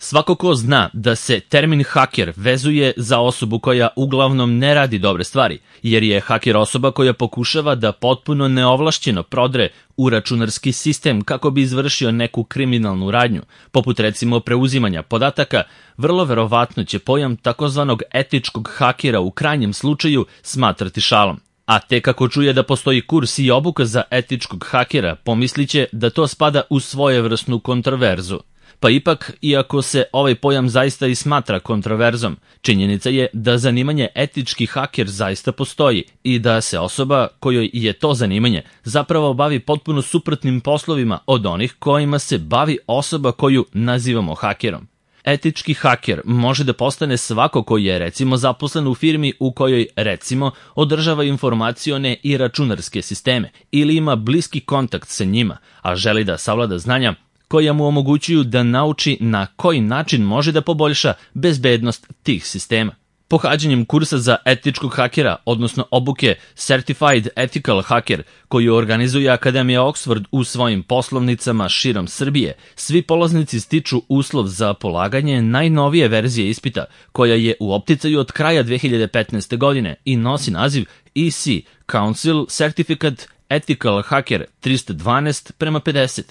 Svako ko zna da se termin haker vezuje za osobu koja uglavnom ne radi dobre stvari, jer je haker osoba koja pokušava da potpuno neovlašćeno prodre u računarski sistem kako bi izvršio neku kriminalnu radnju, poput recimo preuzimanja podataka, vrlo verovatno će pojam takozvanog etičkog hakera u krajnjem slučaju smatrati šalom. A tek ako čuje da postoji kurs i obuka za etičkog hakera, pomisliće da to spada u svojevrsnu kontroverzu. Pa ipak, iako se ovaj pojam zaista i smatra kontroverzom, činjenica je da zanimanje etički haker zaista postoji i da se osoba kojoj je to zanimanje zapravo bavi potpuno suprotnim poslovima od onih kojima se bavi osoba koju nazivamo hakerom. Etički haker može da postane svako koji je recimo zaposlen u firmi u kojoj recimo održava informacione i računarske sisteme ili ima bliski kontakt sa njima, a želi da savlada znanja koja mu omogućuju da nauči na koji način može da poboljša bezbednost tih sistema. Pohađanjem kursa za etičkog hakera, odnosno obuke Certified Ethical Hacker, koju organizuje Akademija Oxford u svojim poslovnicama širom Srbije, svi polaznici stiču uslov za polaganje najnovije verzije ispita, koja je u opticaju od kraja 2015. godine i nosi naziv EC Council Certificate Ethical Hacker 312:50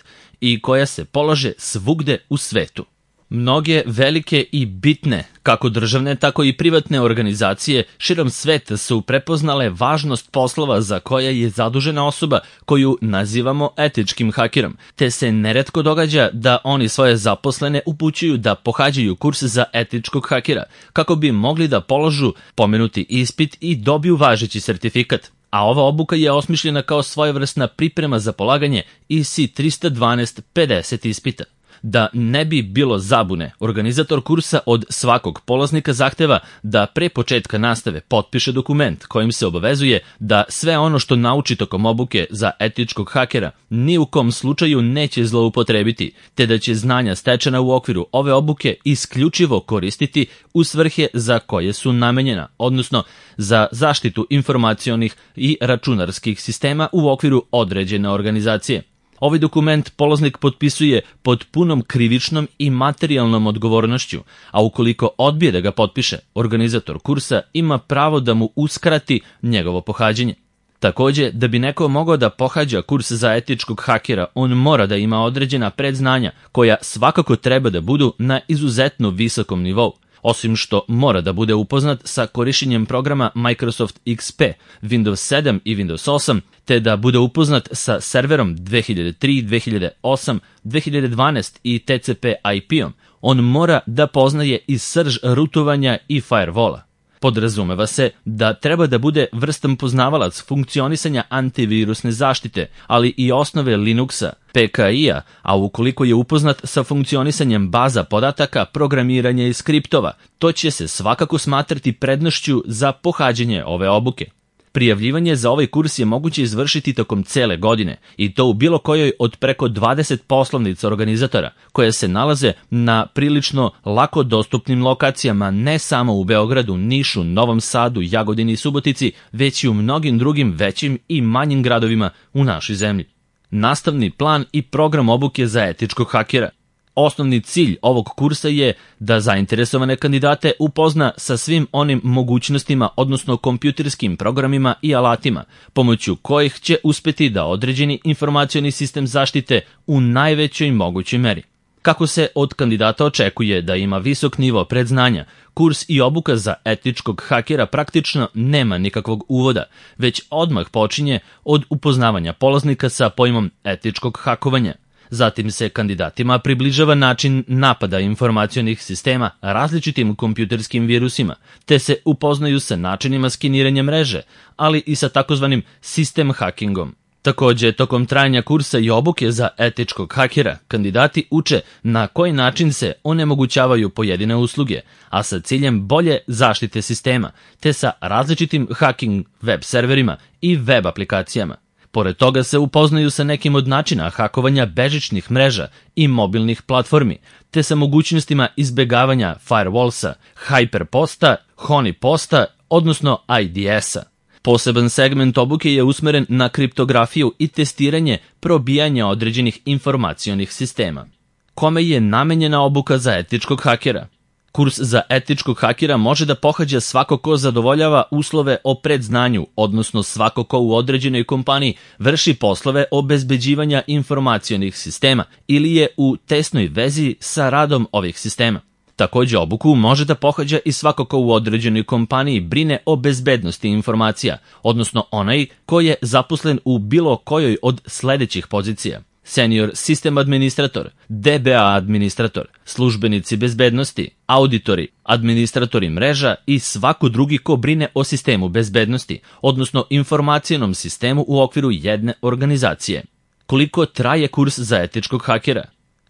i koja se polaže svugde u svetu. Mnoge velike i bitne, kako državne, tako i privatne organizacije širom sveta su prepoznale važnost poslova za koje je zadužena osoba koju nazivamo etičkim hakerom, te se neretko događa da oni svoje zaposlene upućuju da pohađaju kurs za etičkog hakera, kako bi mogli da položu pomenuti ispit i dobiju važeći sertifikat. A ova obuka je osmišljena kao svojevrsna priprema za polaganje EC 312:50 ispita. Da ne bi bilo zabune, organizator kursa od svakog polaznika zahteva da pre početka nastave potpiše dokument kojim se obavezuje da sve ono što nauči tokom obuke za etičkog hakera ni u kom slučaju neće zloupotrebiti, te da će znanja stečena u okviru ove obuke isključivo koristiti u svrhe za koje su namenjena, odnosno za zaštitu informacionih i računarskih sistema u okviru određene organizacije. Ovaj dokument polaznik potpisuje pod punom krivičnom i materijalnom odgovornošću, a ukoliko odbije da ga potpiše, organizator kursa ima pravo da mu uskrati njegovo pohađanje. Takođe, da bi neko mogao da pohađa kurs za etičkog hakera, on mora da ima određena predznanja koja svakako treba da budu na izuzetno visokom nivou. Osim što mora da bude upoznat sa korišćenjem programa Microsoft XP, Windows 7 i Windows 8, te da bude upoznat sa serverom 2003, 2008, 2012 i TCP/IP-om. On mora da poznaje i srž rutovanja i firewalla. Podrazumeva se da treba da bude vrstan poznavalac funkcionisanja antivirusne zaštite, ali i osnove Linuxa, PKI-a, a ukoliko je upoznat sa funkcionisanjem baza podataka, programiranja i skriptova, to će se svakako smatrati prednošću za pohađanje ove obuke. Prijavljivanje za ovaj kurs je moguće izvršiti tokom cele godine i to u bilo kojoj od preko 20 poslovnica organizatora koje se nalaze na prilično lako dostupnim lokacijama ne samo u Beogradu, Nišu, Novom Sadu, Jagodini i Subotici, već i u mnogim drugim većim i manjim gradovima u našoj zemlji. Nastavni plan i program obuke za etičkog hakera. Osnovni cilj ovog kursa je da zainteresovane kandidate upozna sa svim onim mogućnostima, odnosno kompjuterskim programima i alatima, pomoću kojih će uspeti da određeni informacioni sistem zaštite u najvećoj mogućoj meri. Kako se od kandidata očekuje da ima visok nivo predznanja, kurs i obuka za etičkog hakera praktično nema nikakvog uvoda, već odmah počinje od upoznavanja polaznika sa pojmom etičkog hakovanja. Zatim se kandidatima približava način napada informacionih sistema različitim kompjuterskim virusima, te se upoznaju sa načinima skeniranja mreže, ali i sa takozvanim sistem hackingom. Takođe, tokom trajanja kursa i obuke za etičkog hakera, kandidati uče na koji način se onemogućavaju pojedine usluge, a sa ciljem bolje zaštite sistema, te sa različitim hacking web serverima i web aplikacijama. Pored toga se upoznaju sa nekim od načina hakovanja bežičnih mreža i mobilnih platformi, te sa mogućnostima izbegavanja firewallsa, hyperposta, honeyposta, odnosno IDS-a. Poseban segment obuke je usmeren na kriptografiju i testiranje probijanja određenih informacionih sistema. kome je namenjena obuka za etičkog hakera. Kurs za etičkog hakera može da pohađa svako ko zadovoljava uslove o predznanju, odnosno svako ko u određenoj kompaniji vrši poslove obezbeđivanja informacionih sistema ili je u tesnoj vezi sa radom ovih sistema. Takođe, obuku može da pohađa i svako ko u određenoj kompaniji brine o bezbednosti informacija, odnosno onaj ko je zaposlen u bilo kojoj od sledećih pozicija: senior sistem administrator, DBA administrator, službenici bezbednosti, auditori, administratori mreža i svako drugi ko brine o sistemu bezbednosti, odnosno informacionom sistemu u okviru jedne organizacije. Koliko traje kurs za etičkog hakera?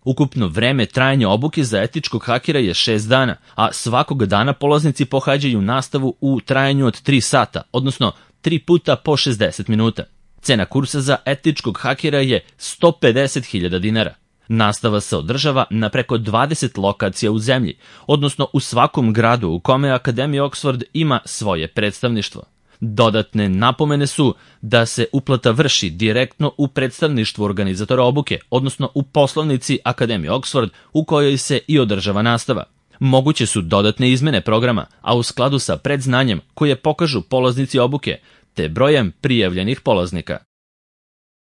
Ukupno vreme trajanja obuke za etičkog hakera je 6 dana, a svakog dana polaznici pohađaju nastavu u trajanju od 3 sata, odnosno 3 puta po 60 minuta. Cena kursa za etičkog hakera je 150.000 dinara. Nastava se održava na preko 20 lokacija u zemlji, odnosno u svakom gradu u kome Akademija Oxford ima svoje predstavništvo. Dodatne napomene su da se uplata vrši direktno u predstavništvu organizatora obuke, odnosno u poslovnici Akademije Oxford u kojoj se i održava nastava. Moguće su dodatne izmene programa, a u skladu sa predznanjem koje pokažu polaznici obuke, te brojem prijavljenih polaznika.